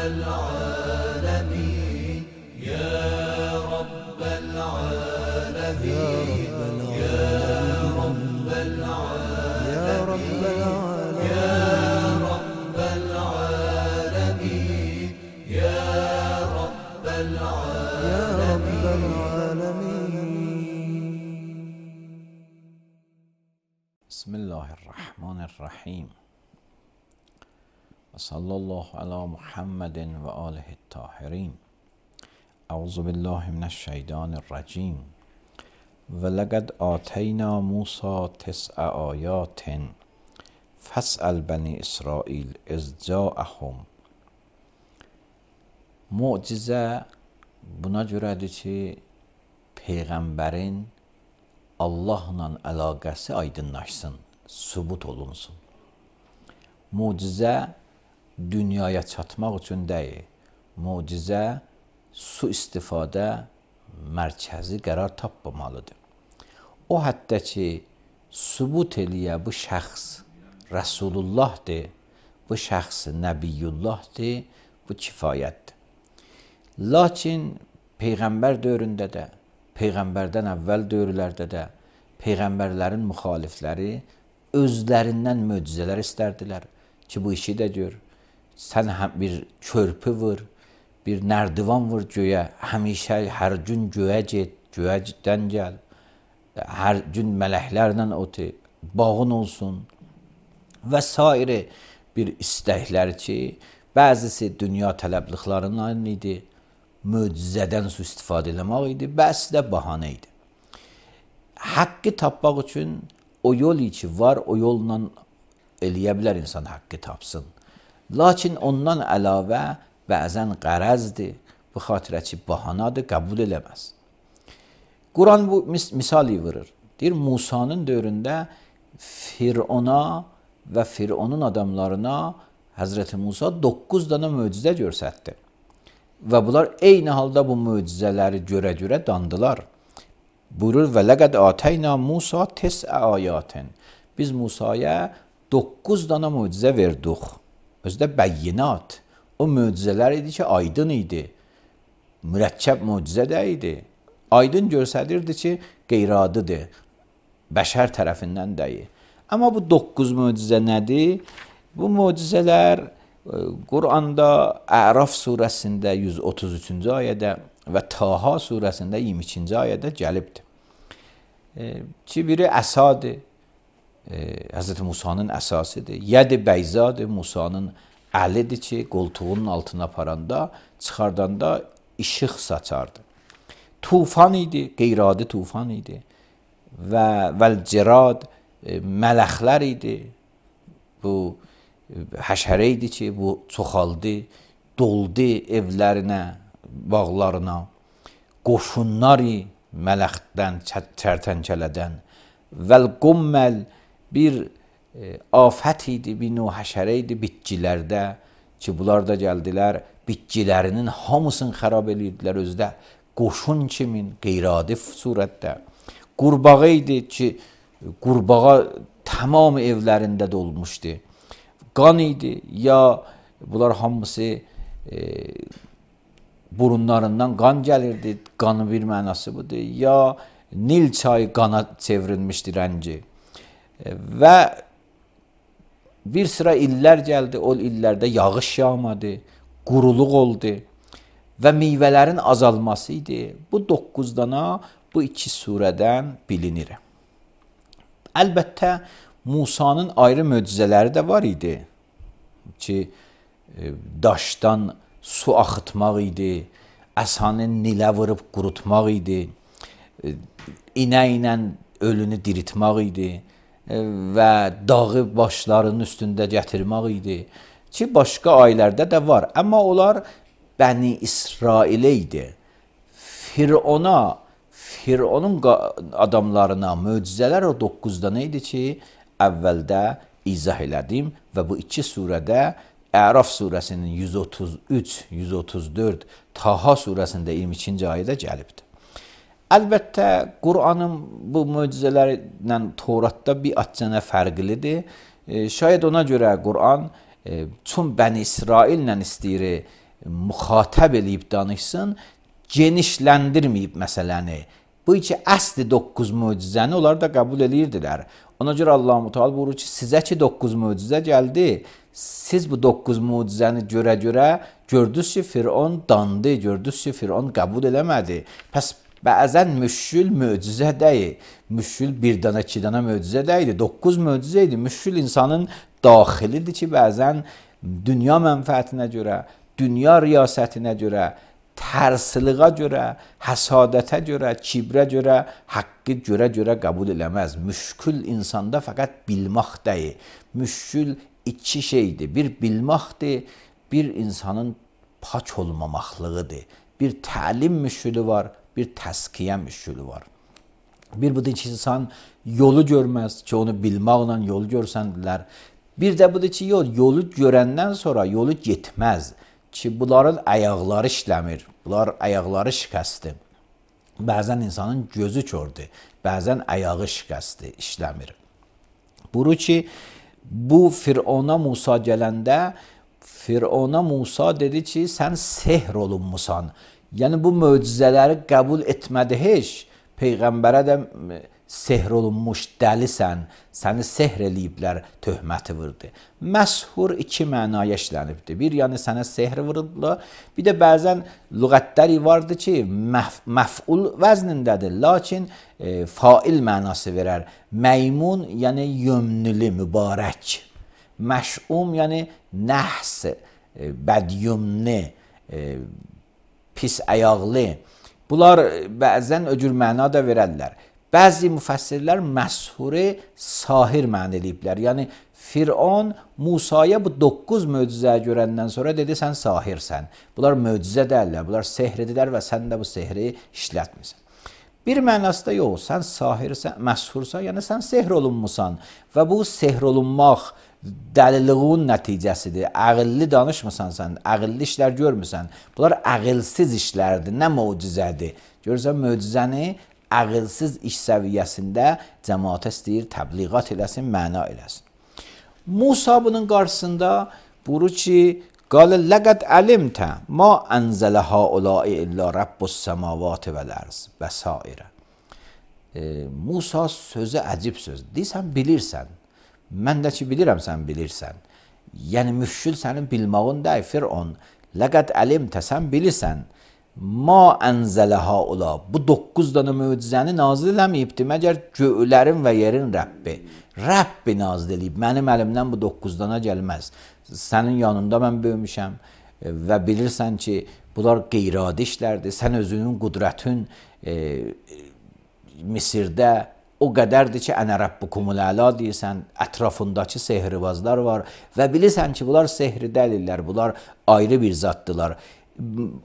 العالمين يا رب العالمين يا رب العالمين يا رب العالمين يا رب العالمين. بسم الله الرحمن الرحیم و صلی الله علی محمد و آله الطاهرین. اعوذ بالله من الشیطان الرجیم. ولقد آتینا موسی 9 آیات فاسأل بنی اسرائیل اذ جاءهم. Mucizə buna görədir ki, Peyğəmbərin Allahla əlaqəsi aydınlaşsın, sübut olunsun. Mucizə dünyaya çatmaq üçün deyil, mucizə su istifadə mərkəzi qərar tapmamalıdır. O həddə ki, sübut eləyə bu şəxs Rəsulullahdır, bu şəxs Nəbiyyullahdır, bu kifayətdir. Lakin Peyğəmbər dövründə də, Peyğəmbərdən əvvəl dövrlərdə də Peyğəmbərlərin müxalifləri özlərindən möcüzələr istərdilər ki, bu işi də gör. Sən bir körpü vur, bir nərdivan vur göyə, həmişə hər gün göyə get, göydən gəl, hər gün mələklərlə otu, bağın olsun və s. bir istəklər ki, bəzisi dünya tələbliqlarından idi, möcüzədən su istifadə eləmək idi, bəzi də bahanə idi. Haqqı tapmaq üçün o yol ki var, o yolla eləyə bilər insan haqqı tapsın. Lakin ondan əlavə bəzən qərəzdir, bu xatirə ki, bahanadır, qəbul eləməz. Quran bu misali vurur. Deyir, Musanın dövründə Firona və Fironun adamlarına Həzrəti Musa 9 dənə möcüzə göstərdi. Və bunlar eyni halda bu möcüzələri görə dandılar. Buyurur, və ləqəd atəyna Musa 9 ayətin. Biz Musaya 9 dənə möcüzə verdik. Özdə bəyyinat. O möcüzələr idi ki, aydın idi. Mürəkkəb möcüzə də idi. Aydın göstərirdi ki, qeyradıdır. Bəşər tərəfindən deyil. Amma bu 9 möcüzə nədir? Bu möcüzələr Quranda Əraf surəsində 133-cü ayədə və Taha surəsində 22-ci ayədə gəlibdir. Ki, biri əsadır, Həzrəti Musanın əsasıdır. Yəd-i bəyzadır, Musanın əlidir ki, qoltuğunun altına aparanda, çıxardanda işıq saçardı. Tufan idi, qeyradi tufan idi və vəl-cirad mələxlər idi. Bu həşərə idi ki, bu çoxaldı, doldu evlərinə, bağlarına. Qoşunlar mələxdən, çərtənkələdən. Vəl-qumməl bir afət idi, bir növ həşərə idi bitkilərdə ki, bunlar da gəldilər, bitkilərinin hamısını xərab edirdilər özdə. Qoşun kimin, qeyradi surətdə. Qurbağa idi ki, qurbağa tamam evlərində dolmuşdu. Qan idi, ya bunlar hamısı burunlarından qan gəlirdi, qanın bir mənası budur, ya Nil çayı qana çevrilmişdi rəngi. Və bir sıra illər gəldi, o illərdə yağış yağmadı, quruluq oldu və meyvələrin azalması idi. Bu 9 dana bu 2 surədən bilinir. Əlbəttə, Musanın ayrı möcüzələri də var idi ki, daşdan su axıtmaq idi, əsanı nilə vurub qurutmaq idi, inə ilə ölünü diritmək idi və dağı başlarının üstündə gətirmək idi ki, başqa ayələrdə də var. Amma onlar Bəni İsrailə idi. Fironun adamlarına möcüzələr o 9 dənə idi ki, əvvəldə izah elədim və bu 2 surədə Əraf surəsinin 133, 134, Taha surəsində 22-ci ayədə gəlibdir. Əlbəttə, Qur'anın bu möcüzələrlə Toratda bir açana fərqlidir. Şayad ona görə Qur'an çün Bəni İsraillə istəyir müxatəb eləyib danışsın, genişləndirməyib məsələni. Bu iki əsli 9 möcüzəni onlar da qəbul edirdilər. Ona görə Allah-u Teala buyurur ki, sizə ki 9 möcüzə gəldi, siz bu 9 möcüzəni görə gördünüz ki, Firon dandı, gördünüz ki, Firon qəbul eləmədi. Pəs bəzən müşkül möcüzə deyil. Müşkül bir dənə, iki dənə möcüzə deyil. 9 möcüzə idi. Müşkül insanın daxilidir ki, bəzən dünya mənfəətinə görə, dünya riyasətinə görə, tərsiliğə görə, həsadətə görə, kibrə görə, haqqı görə qəbul eləməz. Müşkül insanda fəqət bilmək deyil. Müşkül iki şeydir. Bir bilməkdir, bir insanın pak olmamaqlığıdır. Bir təlim müşkülü var, bir təskiyə müşkülü var. Bir budur ki, insan yolu görməz ki, onu bilməklə yolu görsəndilər. Bir də budur ki, yolu görəndən sonra yolu getməz ki, bunların ayaqları işləmir, bunlar ayaqları şikəstir. Bəzən insanın gözü kördür, bəzən ayağı şikəstir, işləmir. Buyurur ki, bu Firona Musa gələndə, Firona Musa dedi ki, sən sehr olunmusan. Yəni, bu möcüzələri qəbul etmədi heç. Peyğəmbərə də sehr olunmuş dəlisən, səni sehr eləyiblər, töhməti vurdu. Məshur iki mənaya işlənibdir. Bir, yəni sənə sehr vurublar. Bir də bəzən lüğətləri vardı ki, məf'ul vəznindədir, lakin fail mənası verər. Məymun, yəni yömnülü, mübarək. Məş'um, yəni nəhs, bədyumni, pis əyaqlı. Bunlar bəzən öcür məna da verərlər. Bəzi müfəssirlər məshuri sahir mən eləyiblər. Yəni, Firon Musaya bu 9 möcüzəyə görəndən sonra dedi, sən sahirsən. Bunlar möcüzə deyirlər, bunlar sehridirlər və sən də bu sehri işlətmirsən. Bir mənası da yox, sən sahirsən, məshursan, yəni sən sehr olunmusan və bu sehr olunmaq dəliliğin nəticəsidir. Əqilli danışmısan sən, əqilli işlər görmüsən. Bunlar əqilsiz işlərdir, nə möcüzədir. Görürsən, möcüzəni əqilsiz iş səviyyəsində cəmaata istəyir, təbliğat eləsin, məna eləsin. Musa bunun qarşısında buyurur ki, qalə ləqəd əlimtə ma ənzələ haulai illə Rabbus səmavatı vəl-ərz və sairə. Musa sözü əcib söz. Deyirsən, bilirsən. Mən də ki, bilirəm, sən bilirsən. Yəni, müşkül sənin bilmağın deyil, Firon. Ləqəd əlimtə, sən bilirsən. Ma ənzələ haula. Bu 9 dənə möcüzəni nazil eləməyibdir, məgər göylərin və yerin Rəbbi. Rəbbi nazil eləyib. Mənim əlimdən bu 9 dənə gəlməz. Sənin yanında mən böyümüşəm və bilirsən ki, bunlar qeyri-adi işlərdir. Sən özünün qudrətin Misirdə o qədərdir ki, ənə Rəbbukumul əla deyirsən, ətrafındakı sehribazlar var və bilirsən ki, bunlar sehri dəlillər, bunlar ayrı bir zatdılar.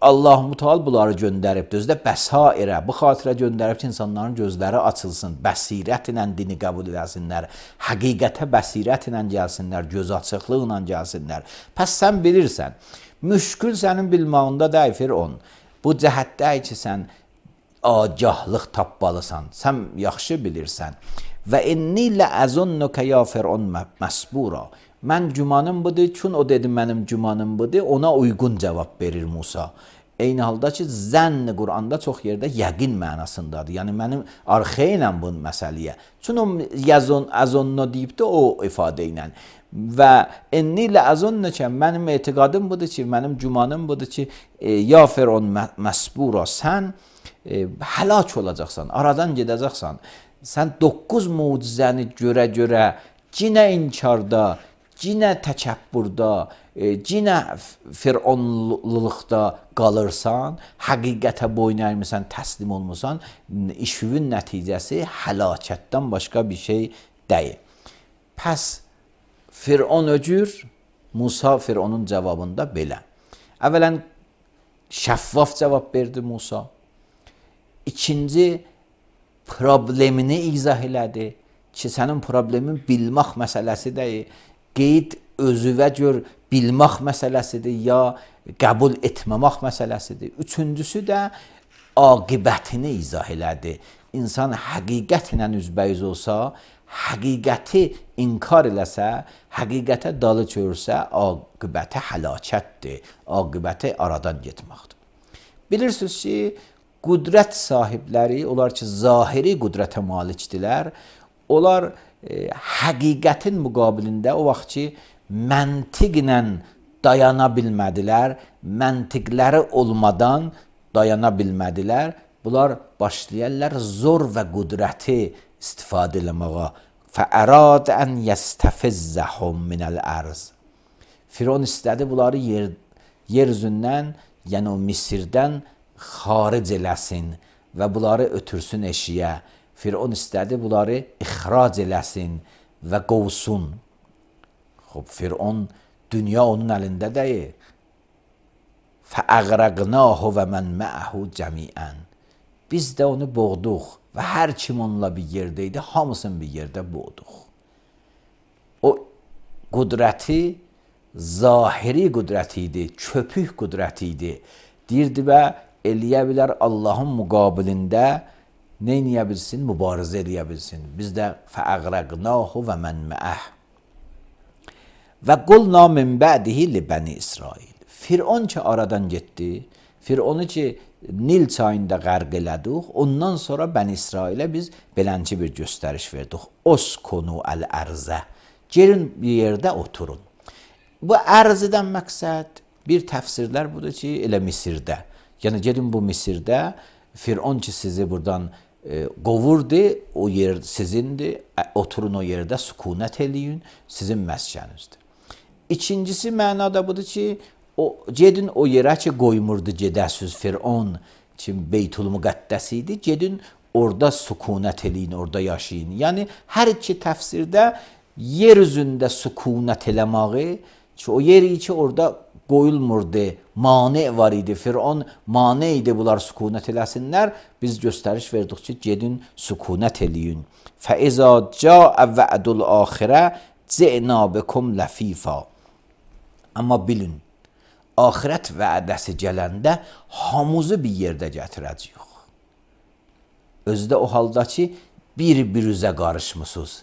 Allah-u Teala bunları göndəribdir. Özdə bəsairə, bu xatirə göndərib ki, insanların gözləri açılsın, bəsirət ilə dini qəbul edəsinlər, həqiqətə bəsirət ilə gəlsinlər, göz açıqlıqla gəlsinlər. Pəs sən bilirsən, müşkül sənin bilmağında deyil, Firon. Bu cəhətdə ki, sən agahlıq tapmalısan, sən yaxşı bilirsən. Və inni ləəzunnuka ya Firon məsbura. Mən gümanım budur, çün o dedi mənim gümanım budur, ona uyğun cavab verir Musa. Eyni halda ki, zənn Quranda çox yerdə yəqin mənasındadır. Yəni, mənim arxeynə bu məsələyə. Çün o əzonno deyibdir o ifadə ilə. Və inni ləəzunnuka, mənim etiqadım budur ki, mənim gümanım budur ki, ya Firon məsbura, sən həlak olacaqsan, aradan gedəcəksən. Sən 9 mucizəni görə, cinə inkarda, cinə təkəbbürdə, cinə fironluqda qalırsan, həqiqətə boyun əymirsən, təslim olmursan, işin nəticəsi həlakətdən başqa bir şey deyil. Pəs Firon öcür, Musa Fironun cavabında belə. Əvvələn şəffaf cavab verdi Musa. İkinci, problemini izah elədi ki, sənin problemin bilmək məsələsi deyil, qeyd özüvə gör bilmək məsələsidir, ya qəbul etməmək məsələsidir. Üçüncüsü də aqibətini izah elədi. İnsan həqiqətlə üzbəyiz olsa, həqiqəti inkar eləsə, həqiqətə dalı çövürsə, aqibəti həlakətdir, aqibəti aradan getməkdir. Bilirsiniz ki, qüdrət sahibləri, onlar ki, zahiri qüdrətə malikdirlər, onlar həqiqətin müqabilində o vaxt ki, məntiqlə dayana bilmədilər, məntiqləri olmadan dayana bilmədilər, bunlar başlayarlar zor və qüdrəti istifadə eləməyə. فَأَرَادَ أَنْ يَسْتَفِزَّهُمْ مِنَ الْأَرْضِ Firon istədi bunları yer üzündən, yəni o Misirdən xaric eləsin və bunları ötürsün eşiyə. Firon istədi bunları ixrac eləsin və qovsun. Firon, dünya onun əlində deyil. فَأَغْرَقْنَاهُ وَمَنْ مَعَهُ جَمِيعًا Biz də onu boğduq və hər kim onunla bir yerdə idi, hamısını bir yerdə boğduq. O qüdrəti, zahiri qüdrəti idi, köpük qüdrəti idi. Deyirdi və eləyə bilər Allahın müqabilində nə eləyə bilsin? Mübarizə eləyə bilsin. Biz də فَأَغْرَقْنَاهُ وَمَنْ مَعَهُ Və qulna min bədihi li bəni İsrail. Firon ki aradan getdi, Fironu ki Nil çayında qərq elədik, ondan sonra Bəni İsrailə biz belənci bir göstəriş verdik. Oskunu əl-ərzə. Gelin bir yerdə oturun. Bu ərzədən məqsəd bir təfsirlər budur ki, elə Misirdə. Yəni gedin bu Misirdə, Firon ki sizi buradan qovurdu, o yer sizindir, oturun o yerdə sükunət eləyin, sizin məskənizdir. İkincisi mənada budur ki, gedin o yerə ki qoymurdu gedəsiz Firon ki Beytul Müqəddəs idi, gedin orada sükunət eləyin, orada yaşayın. Yəni hər iki təfsirdə yer üzündə sükunət eləməyi ki o yeri ki orada qoyulmurdu, mane var idi, Firon mane idi bunlar sükunət eləsinlər, biz göstəriş verdik ki gedin sükunət eləyin. فَإِذَا جَاءَ وَعْدُ الْآخِرَةِ جِئْنَا بِكُمْ لَفِيفًا Amma bilin, axirət vədəsi gələndə hamımızı bir yerdə gətirəcəyik. Özdə o halda ki, bir-birinizə qarışmısınız.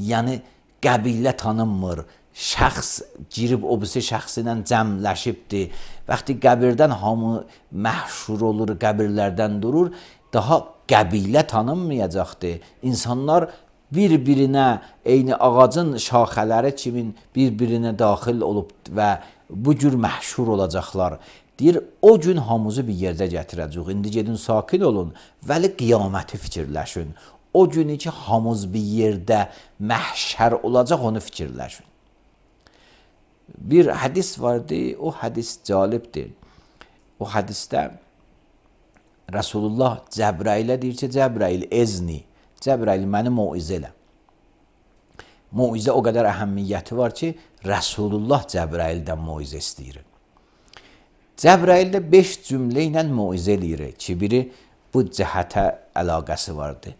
Yəni, qəbilə tanınmır, şəxs girib o birisi şəxsinə cəmləşibdir. Vaxtı qəbirdən hamı məhşur olur, qəbirlərdən durur, daha qəbilə tanınmayacaqdır. İnsanlar bir-birinə, eyni ağacın şaxələri kimin bir-birinə daxil olub və bu cür məhşur olacaqlar. Deyir, o gün hamımızı bir yerdə gətirəcək. İndi gedin sakin olun, vəli qiyaməti fikirləşin. O günü ki, hamımız bir yerdə məhşər olacaq, onu fikirləşin. Bir hədis vardı, o hədis cəlibdir. O hədisdə Rasulullah Cəbrailə deyir ki, Cəbrail ezni, Cəbrail məni moizə elə. Moizə o qədər əhəmiyyəti var ki, Rasulullah Cəbraildən moizə istəyir. Cəbraildə 5 cümlə ilə moizə eləyir ki, biri bu cəhətə əlaqəsi vardır.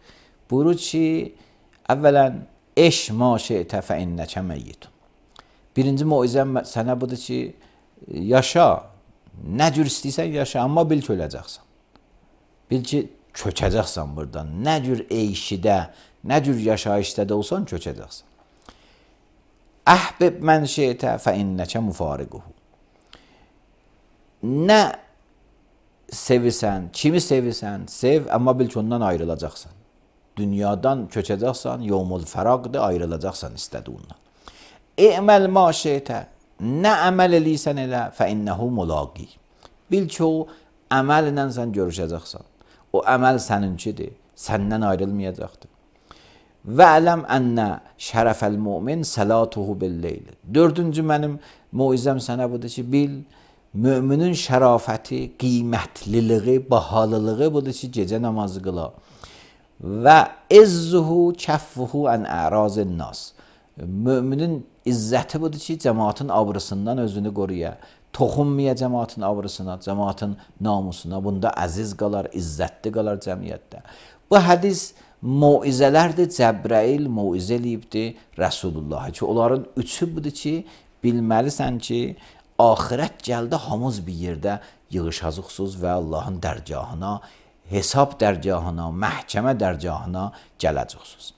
Buyurur ki, əvvələn, eş ma şeytə fə innəkə məyyitun. Birinci moizəm sənə budur ki, yaşa, nə cür istəyirsən yaşa, amma bil ki, öləcəksən. Bil ki, köçəcəksən buradan. Nə cür eyşidə, nə cür yaşayışda da olsan, köçəcəksən. Əhbib mən şeytə fə innəkə müfariquhu. Nə sevirsən, kimi sevirsən, sev, amma bil ki, ondan ayrılacaqsan. Dünyadan köçəcəksən, yevmul fəraqdır, ayrılacaqsan istədiyindən. İ'məl ma şeytə, nə əməl eləyirsən elə, fə innəhu mulaqi. Bil ki, o əməllə sən görüşəcəksən. O əməl səninkidir, səndən ayrılmayacaqdır. Və ələm ənnə şərəfəl mümin səlatuhu billeyl. Dördüncü mənim moizəm sənə budur ki, bil, müminin şərafəti, qiymətlilığı, bahalılığı budur ki, gecə namazı qıla. Və izzuhu kəffuhu ən ərazin nas. Müminin izzəti budur ki, cəmaatın abrısından özünü qoruya. Toxunmaya cəmaatın abrısına, cəmaatın namusuna. Bunda əziz qalar, izzətli qalar cəmiyyətdə. Bu hədis moizələrdir, Cəbrail moizə eləyibdir Rəsulullah ki, onların üçü budur ki, bilməlisən ki, axirət gəldə hamız bir yerdə yığışacaqsınız və Allahın dərgahına, hesab dərgahına, məhkəmə dərgahına gələcəksiniz.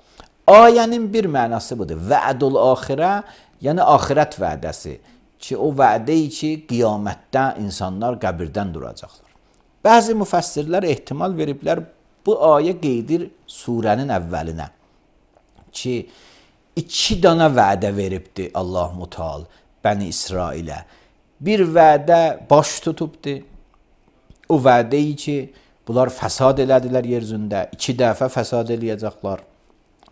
Ayənin bir mənası budur. Vədul axirə, yəni axirət vədəsi ki, o vədə ki, qiyamətdə insanlar qəbirdən duracaqlar. Bəzi müfəssirlər ehtimal veriblər, bu ayə qeydir surənin əvvəlinə ki, 2 dana vədə veribdi Allah-u Teala Bəni İsrailə. Bir vədə baş tutubdi. O vədə ki, bunlar fəsad elədilər yer üzündə, 2 dəfə fəsad eləyəcəklər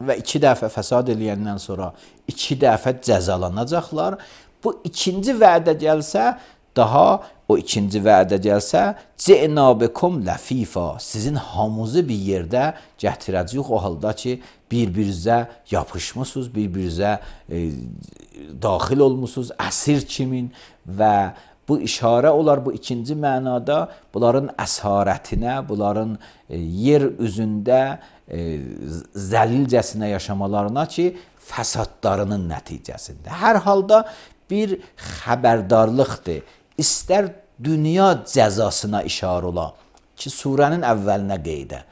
və 2 dəfə fəsad eləyəndən sonra 2 dəfə cəzalanacaqlar. Bu ikinci vədə gəlsə, daha o ikinci vədə gəlsə, cənabekum ləfifa, sizin hamınızı bir yerdə gətirəcəyik o halda ki, bir-birinizə yapışmısınız, bir-birinizə daxil olmusunuz, əsir kimin və bu işarə olar bu ikinci mənada bunların əsarətinə, bunların yer üzündə zəlilcəsinə yaşamalarına ki, fəsadlarının nəticəsində. Hər halda bir xəbərdarlıqdır. İstər dünya cəzasına işarə ola ki, surənin əvvəlinə qeydə,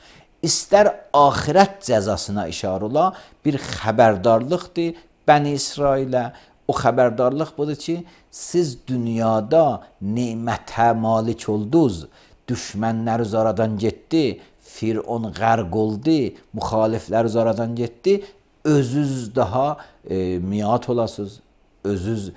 istər axirət cəzasına işarə ola bir xəbərdarlıqdır Bəni İsrailə. O xəbərdarlıq budur ki, siz dünyada nemətə malik oldunuz, düşmənlər zaradan getdi, Firon qərq oldu, müxaliflər zaradan getdi, özünüz daha miat olasınız, özünüz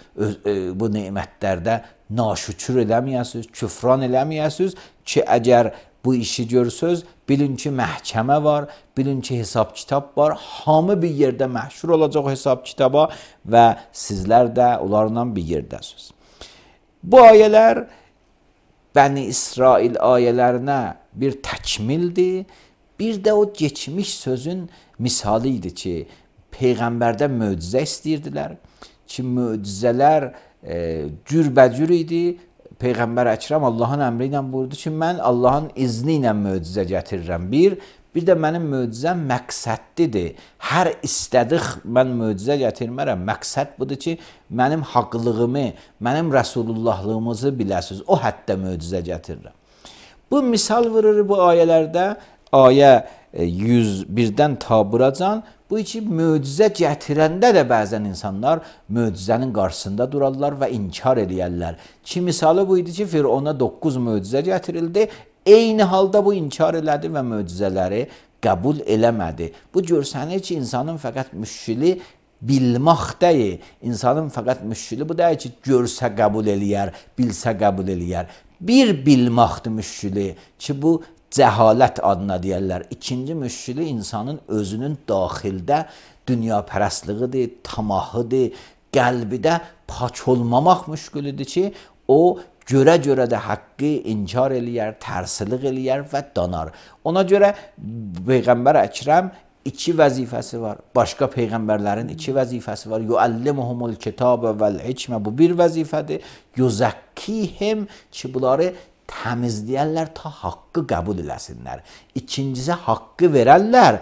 bu nemətlərdə naşükür eləməyəsiniz, küfran eləməyəsiniz ki, əgər bu işi görsöz, bilin ki, məhkəmə var, bilin ki, hesab kitab var, hamı bir yerdə məhşur olacaq o hesab kitaba və sizlər də onlarla bir yerdəsiniz. Bu ayələr Bəni İsrail ayələrinə bir təkmildir, bir də o geçmiş sözün misalı idi ki, Peyğəmbərdən möcüzə istəyirdilər ki, möcüzələr cürbəcür idi. Peyğəmbər Əkrəm Allahın əmri ilə buyurdu ki, mən Allahın izni ilə möcüzə gətirirəm. Bir də mənim möcüzəm məqsədlidir. Hər istədik mən möcüzə gətirmərəm. Məqsəd budur ki, mənim haqlığımı, mənim rəsulullahlığımızı biləsiniz. O həddə möcüzə gətirirəm. Bu misal vurur bu ayələrdə. Ayə 101-dən ta buracan. Bu ki, möcüzə gətirəndə də bəzən insanlar möcüzənin qarşısında durarlar və inkar edərlər. Ki, misalı bu idi ki, Firona 9 möcüzə gətirildi. Eyni halda bu inkar elədi və möcüzələri qəbul eləmədi. Bu görsənir ki, insanın fəqət müşkili bilmək deyil. İnsanın fəqət müşkili bu deyil ki, görsə qəbul eləyər, bilsə qəbul eləyər. Bir bilməkdir müşkili ki, bu cəhalət adına deyərlər. İkinci müşkili insanın özünün daxildə dünyapərəstliğidir, tamahıdır, qəlbidə pak olmamaq müşkilidir ki, o görə-görə də haqqı inkar eləyər, tərsiliq eləyər və danar. Ona görə Peyğəmbər Əkrəm 2 vəzifəsi var. Başqa peyğəmbərlərin 2 vəzifəsi var. Yuallimuhumul kitabə vəl hikmə, bu bir vəzifədir. Yuzakkihim ki, bunları təmizləyərlər ta haqqı qəbul eləsinlər. İkincisi haqqı verərlər.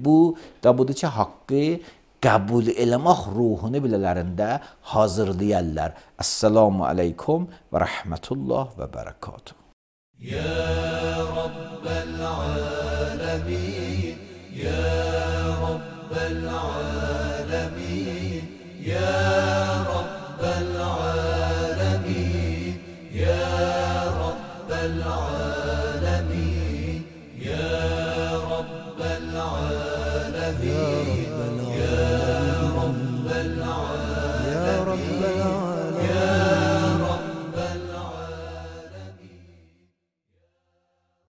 Bu da budur ki, haqqı qəbul eləmək ruhunu bilələrində hazırlayarlar. Əssalamu aleykum və rəhmətullah və bərəkatuhu. Ya Rabbel alemin, Ya Rabbel alemin, Ya Rabbel alemin, Ya Rabbel alemin.